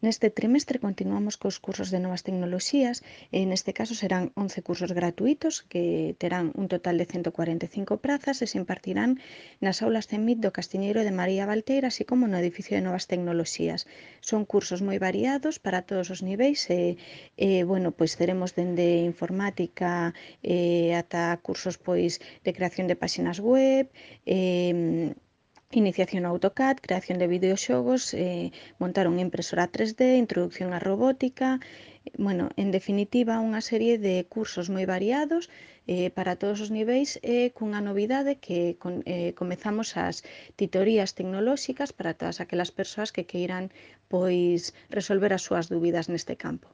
Neste trimestre continuamos cos cursos de novas tecnoloxías e neste caso serán 11 cursos gratuítos que terán un total de 145 prazas e se impartirán nas aulas CEMIT do Castiñeiro de María Valteira, así como no edificio de novas tecnoloxías. Son cursos moi variados para todos os niveis bueno, pois teremos dende informática ata cursos pois de creación de páxinas web, iniciación ao AutoCAD, creación de videoxogos, montar unha impresora 3D, introducción á robótica, bueno, en definitiva, unha serie de cursos moi variados para todos os niveis e cunha novidade que comezamos as titorías tecnolóxicas para todas aquelas persoas que queiran pois resolver as súas dúbidas neste campo.